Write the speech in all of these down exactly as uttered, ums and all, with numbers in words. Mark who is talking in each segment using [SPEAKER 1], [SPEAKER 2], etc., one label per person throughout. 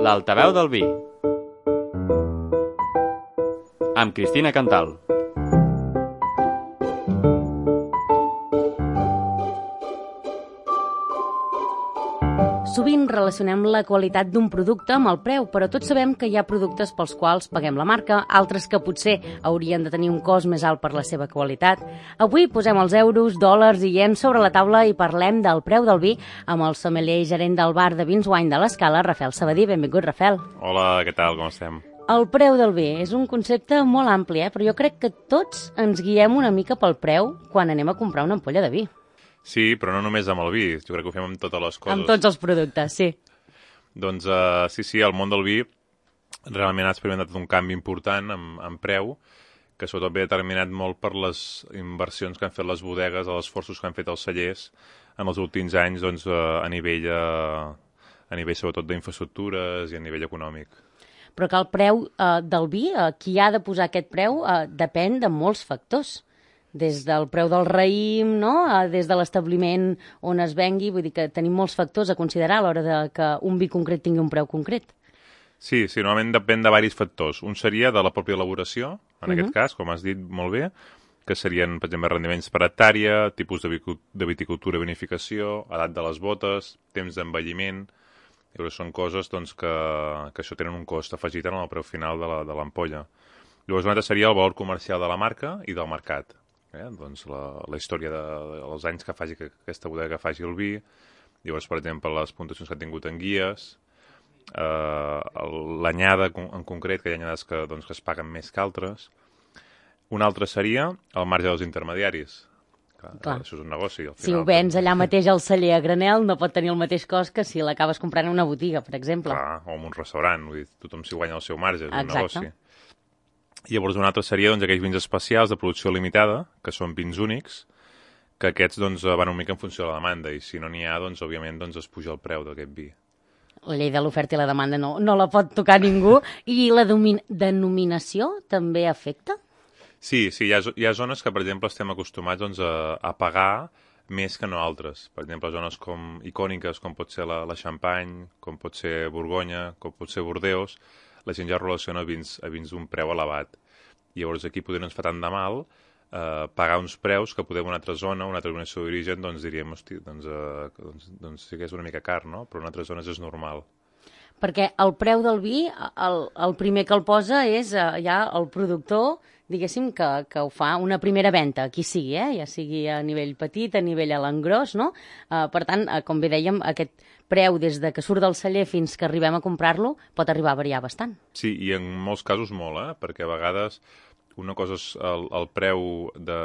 [SPEAKER 1] L'altaveu del vi, amb Cristina Cantal.
[SPEAKER 2] Sovint relacionem la qualitat d'un producte amb el preu, però tots sabem que hi ha productes pels quals paguem la marca, altres que potser haurien de tenir un cost més alt per la seva qualitat. Avui posem els euros, dòlars i iens sobre la taula i parlem del preu del vi amb el sommelier i gerent del bar de Vins Wine de l'Escala, Rafael Sabadí. Benvingut, Rafael.
[SPEAKER 3] Hola, què tal? Com estem?
[SPEAKER 2] El preu del vi és un concepte molt ampli, eh? Però jo crec que tots ens guiem una mica pel preu quan anem a comprar una ampolla de vi.
[SPEAKER 3] Sí, però no només amb el vi, jo crec que ho fem amb totes les coses.
[SPEAKER 2] Amb tots els productes, sí.
[SPEAKER 3] Doncs uh, sí, sí, el món del vi realment ha experimentat un canvi important en, en preu, que sobretot ve determinat molt per les inversions que han fet les bodegues, els esforços que han fet els cellers en els últims anys doncs, uh, a nivell, uh, a nivell sobretot d'infraestructures i a nivell econòmic.
[SPEAKER 2] Però que el preu uh, del vi, uh, qui ha de posar aquest preu, uh, depèn de molts factors. Des del preu del raïm, no? Des de l'establiment on es vengui, vull dir que tenim molts factors a considerar a l'hora de que un vi concret tingui un preu concret.
[SPEAKER 3] Sí, sí, normalment depèn de diversos factors. Un seria de la pròpia elaboració, en uh-huh. aquest cas, com has dit molt bé, que serien, per exemple, rendiments per hectàrea, tipus de, de viticultura i vinificació, edat de les botes, temps d'envelliment. Són coses doncs, que, que això tenen un cost afegit en el preu final de l'ampolla. Llavors, un altre seria el valor comercial de la marca i del mercat. Eh? Doncs la, la història de, dels anys que faci que aquesta bodega faci el vi, llavors, per exemple, les puntuacions que ha tingut en guies, eh, l'anyada en concret, que hi ha anyades que, doncs, que es paguen més que altres. Un altre seria el marge dels intermediaris. Clar, Clar. Això és un negoci. Al final,
[SPEAKER 2] si ho vens allà mateix al celler a granel, no pot tenir el mateix cost que si l'acabes comprant en una botiga, per exemple.
[SPEAKER 3] Clar, o en un restaurant, vull dir, tothom s'hi guanya el seu marge, és
[SPEAKER 2] Exacte.
[SPEAKER 3] un negoci. Llavors, un altre seria doncs, aquells vins especials de producció limitada, que són vins únics, que aquests doncs, van una mica en funció de la demanda, i si no n'hi ha, doncs, òbviament, doncs, es puja el preu d'aquest vi.
[SPEAKER 2] La llei de l'oferta i la demanda no, no la pot tocar ningú. I la denominació també afecta?
[SPEAKER 3] Sí, sí, hi ha, hi ha zones que, per exemple, estem acostumats doncs, a, a pagar més que no altres. Per exemple, zones com icòniques, com pot ser la, la Champagne, com pot ser Borgonya, com pot ser Bordeus, la gent ja relaciona vins, a vins d'un preu elevat. I llavors aquí potser no ens fa tant de mal eh, pagar uns preus que poder en una altra zona, una altra denominació d'origen, doncs diríem, hosti, doncs, eh, doncs, doncs sí que és una mica car, no? Però en altres zones és normal.
[SPEAKER 2] Perquè el preu del vi, el, el primer que el posa és eh, ja el productor, diguéssim, que, que ho fa una primera venda, qui sigui, eh? Ja sigui a nivell petit, a nivell a l'engròs, no? Eh, per tant, eh, com bé dèiem, aquest preu des de que surt del celler fins que arribem a comprar-lo pot arribar a variar bastant.
[SPEAKER 3] Sí, i en molts casos molt, eh? Perquè a vegades una cosa és el, el preu de,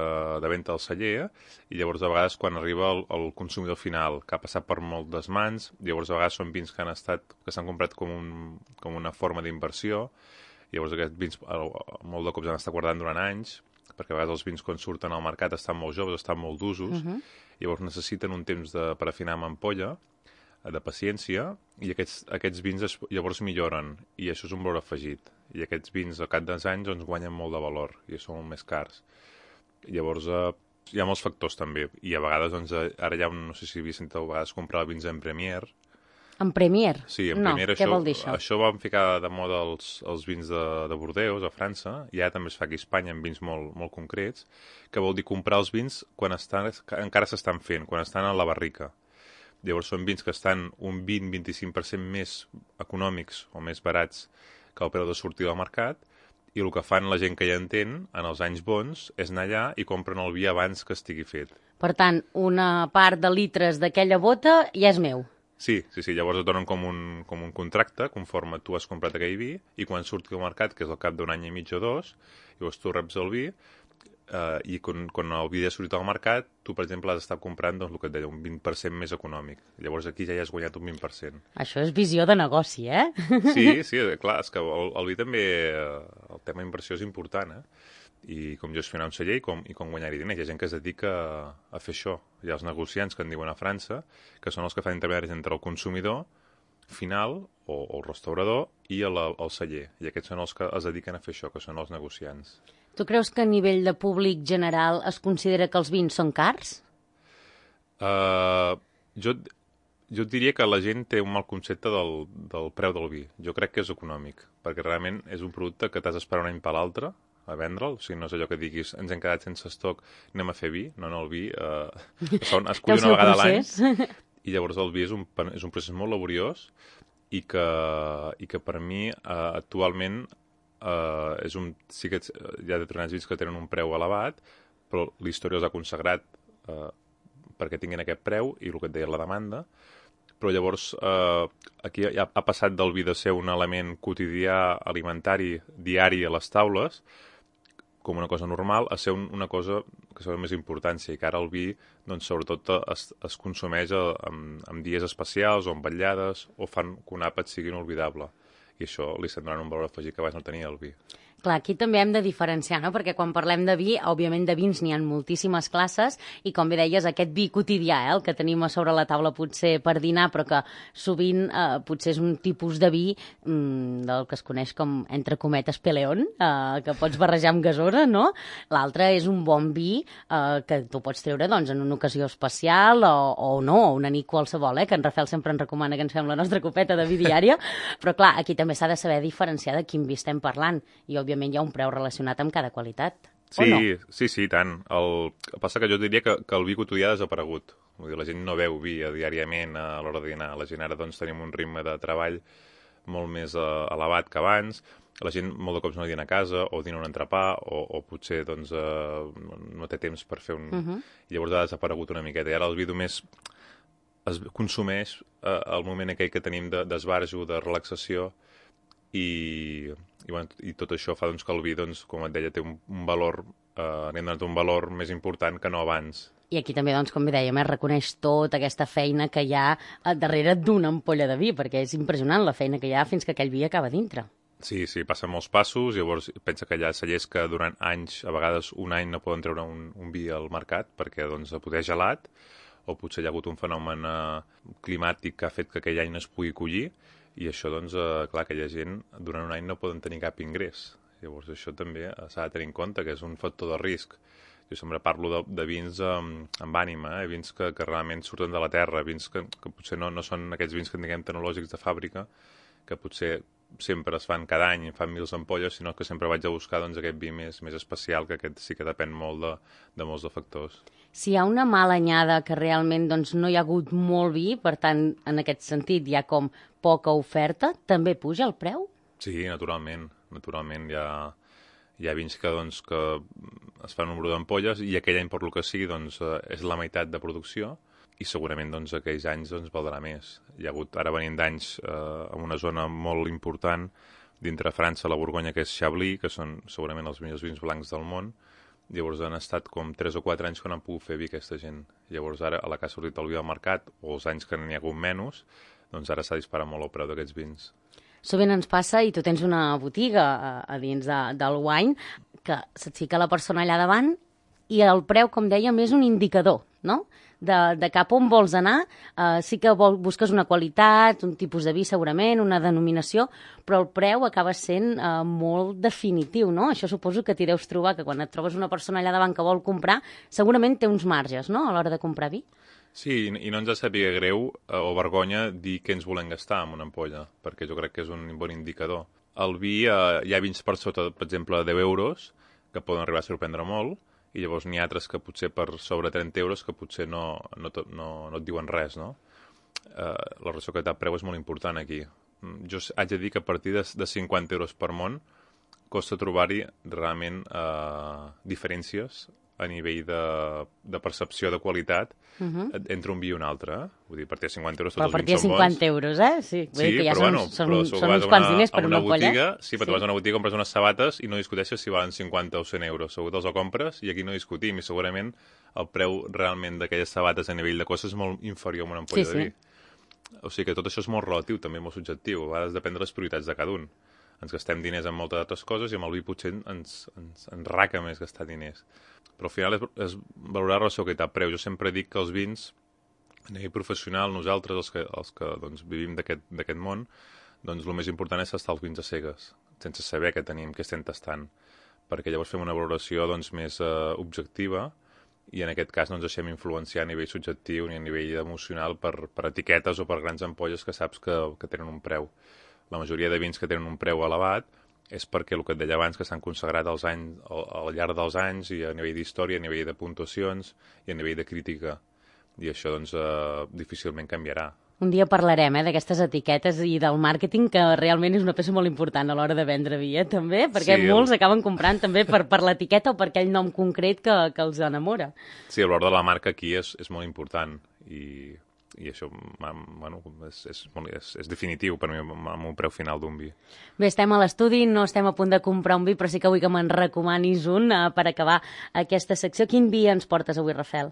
[SPEAKER 3] de venda al celler i llavors a vegades quan arriba el, el consumidor final, que ha passat per moltes mans, llavors a vegades són vins que han estat que s'han comprat com, un, com una forma d'inversió, llavors aquests vins molt de cops han estat guardant durant anys, perquè a vegades els vins quan surten al mercat estan molt joves, estan molt d'usos, uh-huh. llavors necessiten un temps de, per afinar amb ampolla, de paciència, i aquests, aquests vins es, llavors milloren, i això és un valor afegit. I aquests vins al cap dels anys doncs, guanyen molt de valor, i són molt més cars. Llavors eh, hi ha molts factors també, i a vegades, doncs, ara hi ha, un, no sé si havia sentit a vegades comprar vins en Premier.
[SPEAKER 2] En Premier?
[SPEAKER 3] Sí, en
[SPEAKER 2] no,
[SPEAKER 3] Premier.
[SPEAKER 2] Què
[SPEAKER 3] això,
[SPEAKER 2] vol dir això?
[SPEAKER 3] Això van ficar de moda els, els vins de, de Bordeus, a França, i ara també es fa aquí a Espanya amb vins molt, molt concrets, que vol dir comprar els vins quan estan, encara s'estan fent, quan estan a la barrica. Llavors són vins que estan un vint a vint-i-cinc per cent més econòmics o més barats que el preu de sortir al mercat, i el que fan la gent que ja entén, en els anys bons, és anar allà i compren el vi abans que estigui fet.
[SPEAKER 2] Per tant, una part de litres d'aquella bota ja és meu.
[SPEAKER 3] Sí, sí, sí, llavors et donen com un, com un contracte, conforme tu has comprat aquell vi, i quan surti al mercat, que és al cap d'un any i mig o dos, llavors tu reps el vi, Uh, i quan, quan el vi ha sortit al mercat, tu, per exemple, has d'estar comprant doncs, el que et deia, un vint per cent més econòmic. Llavors aquí ja hi has guanyat un vint per cent.
[SPEAKER 2] Això és visió de negoci, eh?
[SPEAKER 3] Sí, sí, clar, és que el, el vi també, el tema inversió és important, eh? I com gestionar un celler i com, i com guanyar-hi diners. Hi ha gent que es dedica a, a fer això. Hi ha els negociants que en diuen a França, que són els que fan intermediaris entre el consumidor final o, o el restaurador i el, el celler. I aquests són els que es dediquen a fer això, que són els negociants.
[SPEAKER 2] Tu creus que a nivell de públic general es considera que els vins són cars?
[SPEAKER 3] Uh, jo, Jo diria que la gent té un mal concepte del, del preu del vi. Jo crec que és econòmic, perquè realment és un producte que t'has d'esperar un any per l'altre a vendre'l, o sigui, no és allò que diguis ens hem quedat sense estoc, anem a fer vi. No, no, el vi eh, es cull una vegada a l'any, i llavors el vi és un, és un procés molt laboriós i que, i que per mi eh, actualment eh, és un, sí que hi ha determinats vins que tenen un preu elevat, però la història els ha consagrat eh, perquè tinguin aquest preu i el que et deia la demanda, però llavors eh, aquí ha, ha passat del vi de ser un element quotidià alimentari diari a les taules com una cosa normal a ser un, una cosa que s'ha de més importància i que ara el vi doncs, sobretot es, es consumeix en, en dies especials o en vetllades o fan que un àpat sigui inolvidable i això li estan donant un valor afegit que abans no tenia el vi.
[SPEAKER 2] Clar, aquí també hem de diferenciar, no? Perquè quan parlem de vi, òbviament de vins n'hi ha moltíssimes classes i, com bé deies, aquest vi quotidià, eh, el que tenim a sobre la taula potser per dinar, però que sovint eh, potser és un tipus de vi mm, del que es coneix com, entre cometes, peleón, eh, que pots barrejar amb gasosa, no? L'altre és un bon vi eh, que tu pots treure doncs, en una ocasió especial o, o no, o una nit qualsevol, eh, que en Rafael sempre ens recomana que ens fem la nostra copeta de vi diària, però clar, aquí també s'ha de saber diferenciar de quin vi estem parlant i, òbviament, hi ha un preu relacionat amb cada qualitat,
[SPEAKER 3] sí,
[SPEAKER 2] o no?
[SPEAKER 3] Sí, sí, tant. El que passa que jo diria que, que el vi quotidià ha desaparegut. Vull dir, la gent no beu vi diàriament a l'hora de dinar. La gent ara doncs, tenim un ritme de treball molt més uh, elevat que abans. La gent molt de cops no dina a casa o dina un entrepà o, o potser doncs, uh, no té temps per fer un... Uh -huh. I llavors ha desaparegut una miqueta. I ara el vi només es consumeix uh, al moment aquell que tenim d'esbarjo, de, de relaxació i... I, bueno, i tot això fa doncs, que el vi, doncs, com et deia, té un, un valor, eh, n'hem donat un valor més important que no abans.
[SPEAKER 2] I aquí també, doncs, com bé dèiem, es reconeix tota aquesta feina que hi ha darrere d'una ampolla de vi, perquè és impressionant la feina que hi ha fins que aquell vi acaba dintre.
[SPEAKER 3] Sí, sí, passen molts passos, llavors pensa que hi ha cellers que durant anys, a vegades un any, no poden treure un, un vi al mercat perquè doncs, poder gelat, o potser hi ha hagut un fenomen eh, climàtic que ha fet que aquell any no es pugui collir, i això, doncs, eh, clar, aquella gent durant un any no poden tenir cap ingrés. Llavors això també s'ha de tenir en compte, que és un factor de risc. Jo sempre parlo de, de vins amb, amb ànima, eh? Vins que, que realment surten de la terra, vins que, que potser no, no són aquests vins que diguem tecnològics de fàbrica, que potser sempre es fan cada any, fan mils ampolles, sinó que sempre vaig a buscar doncs, aquest vi més, més especial, que aquest sí que depèn molt de, de molts de factors.
[SPEAKER 2] Si hi ha una mala anyada que realment doncs, no hi ha hagut molt vi, per tant, en aquest sentit hi ha com poca oferta, també puja el preu?
[SPEAKER 3] Sí, naturalment. Naturalment hi ha, hi ha vins que, doncs, que es fan un número d'ampolles i aquell any, per lo que sigui, doncs, és la meitat de producció i segurament doncs, aquells anys doncs, valdrà més. Hi ha hagut, ara venim d'anys eh, en una zona molt important dintre França, la Borgonya, que és Chablis, que són segurament els millors vins blancs del món. Llavors han estat com tres o quatre anys que no han pogut fer vi aquesta gent. Llavors ara, a la que ha sortit el vi al mercat, o els anys que n'hi ha hagut menys, doncs ara s'ha disparat molt el preu d'aquests vins.
[SPEAKER 2] Sovint ens passa, i tu tens una botiga a, a dins de, del wine, que se't fica la persona allà davant i el preu, com dèiem, és un indicador, no?, de, de cap on vols anar. Uh, sí que vol, busques una qualitat, un tipus de vi segurament, una denominació, però el preu acaba sent uh, molt definitiu, no? Això suposo que t'hi deus trobar, que quan et trobes una persona allà davant que vol comprar, segurament té uns marges, no?, a l'hora de comprar vi.
[SPEAKER 3] Sí, i no ens ha sabia greu eh, o vergonya dir què ens volem gastar amb una ampolla, perquè jo crec que és un bon indicador. El vi, eh, hi ha vins per sota, per exemple, deu euros, que poden arribar a sorprendre molt, i llavors n'hi ha altres que potser per sobre trenta euros que potser no, no, no, no et diuen res, no? Eh, la relació qualitat-preu és molt important aquí. Jo haig de dir que a partir de, de cinquanta euros per món costa trobar-hi realment eh, diferències a nivell de, de percepció de qualitat uh -huh. entre un vi i un altre. Eh? Vull dir, a partir de cinquanta euros tots
[SPEAKER 2] però
[SPEAKER 3] els vins són bons.
[SPEAKER 2] Però a partir de cinquanta euros, eh? Sí, vull
[SPEAKER 3] sí
[SPEAKER 2] dir que ja
[SPEAKER 3] però
[SPEAKER 2] són,
[SPEAKER 3] bueno,
[SPEAKER 2] són,
[SPEAKER 3] però
[SPEAKER 2] són uns quants diners per una, una
[SPEAKER 3] botiga,
[SPEAKER 2] ampolla.
[SPEAKER 3] sí, però
[SPEAKER 2] sí.
[SPEAKER 3] tu vas a una botiga, compres unes sabates i no discuteixes si valen cinquanta o cent euros. Segur que te'ls ho compres i aquí no discutim. I segurament el preu realment d'aquelles sabates a nivell de costes és molt inferior a una ampolla
[SPEAKER 2] sí,
[SPEAKER 3] de vi.
[SPEAKER 2] Sí.
[SPEAKER 3] O sigui que tot això és molt relatiu, també molt subjectiu. A vegades depèn de les prioritats de cada un. Ens gastem diners en moltes altres coses i amb el vi potser ens, ens, ens raca més gastar diners. Però al final és, és valorar la relació qualitat-preu. Jo sempre dic que els vins, a nivell professional, nosaltres, els que, els que doncs, vivim d'aquest món, doncs el més important és tastar els vins a cegues, sense saber què tenim, què estem tastant, perquè llavors fem una valoració doncs, més uh, objectiva i en aquest cas no ens deixem influenciar a nivell subjectiu ni a nivell emocional per, per etiquetes o per grans ampolles que saps que, que tenen un preu. La majoria de vins que tenen un preu elevat és perquè el que et deia abans, que s'han consagrat als anys, al, al llarg dels anys i a nivell d'història, a nivell de puntuacions i a nivell de crítica. I això doncs eh, difícilment canviarà.
[SPEAKER 2] Un dia parlarem eh, d'aquestes etiquetes i del màrqueting, que realment és una peça molt important a l'hora de vendre vi, eh, també, perquè sí, molts el... acaben comprant també per, per l'etiqueta o per aquell nom concret que, que els enamora.
[SPEAKER 3] Sí, el valor de la marca aquí és, és molt important i, i això bueno, és, és, molt, és, és definitiu per mi amb un preu final d'un vi.
[SPEAKER 2] Bé, estem a l'estudi, no estem a punt de comprar un vi, però sí que vull que me'n recomanis un eh, per acabar aquesta secció. Quin vi ens portes avui, Rafel?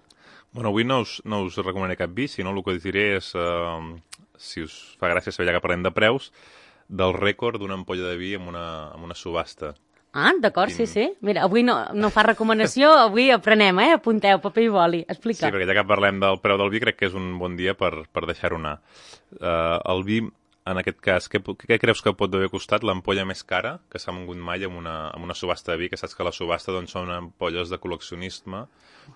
[SPEAKER 3] Bueno, avui no us, no us recomanaré cap vi, sinó el que us diré és, eh, si us fa gràcia saber ja que parlem de preus, del rècord d'una ampolla de vi amb una, amb una subhasta.
[SPEAKER 2] Ah, d'acord, Quin... sí, sí. Mira, avui no, no fa recomanació, avui aprenem, eh? Apunteu, paper i boli. Explica.
[SPEAKER 3] Sí, perquè ja que parlem del preu del vi, crec que és un bon dia per, per deixar-ho anar. Uh, el vi, en aquest cas, què, què creus que pot haver costat l'ampolla més cara que s'ha mogut mai amb una, amb una subhasta de vi? Que saps que la subhasta doncs, són ampolles de col·leccionisme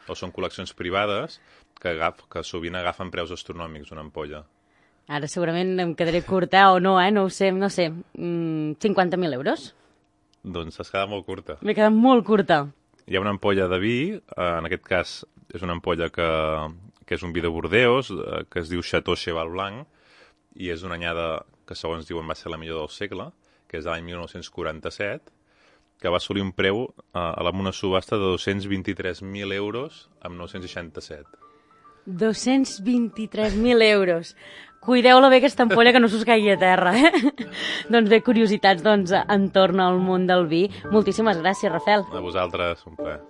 [SPEAKER 3] o són col·leccions privades que, agaf, que sovint agafen preus astronòmics una ampolla.
[SPEAKER 2] Ara segurament em quedaré curta o no, eh? No ho sé, no sé. Mm, cinquanta mil euros?
[SPEAKER 3] Doncs has quedat molt curta.
[SPEAKER 2] M'he quedat molt curta.
[SPEAKER 3] Hi ha una ampolla de vi, en aquest cas és una ampolla que, que és un vi de Bordeus, que es diu Chateau Cheval Blanc, i és una anyada que segons diuen va ser la millor del segle, que és de l'any mil nou-cents quaranta-set, que va assolir un preu a una subhasta de dos-cents vint-i-tres mil euros amb nou-cents seixanta-set.
[SPEAKER 2] dos-cents vint-i-tres mil euros. Cuideu-la bé, aquesta ampolla, que no s'us caigui a terra, eh? Doncs bé, curiositats doncs, entorn al món del vi. Moltíssimes gràcies, Rafel.
[SPEAKER 3] A vosaltres, un plaer.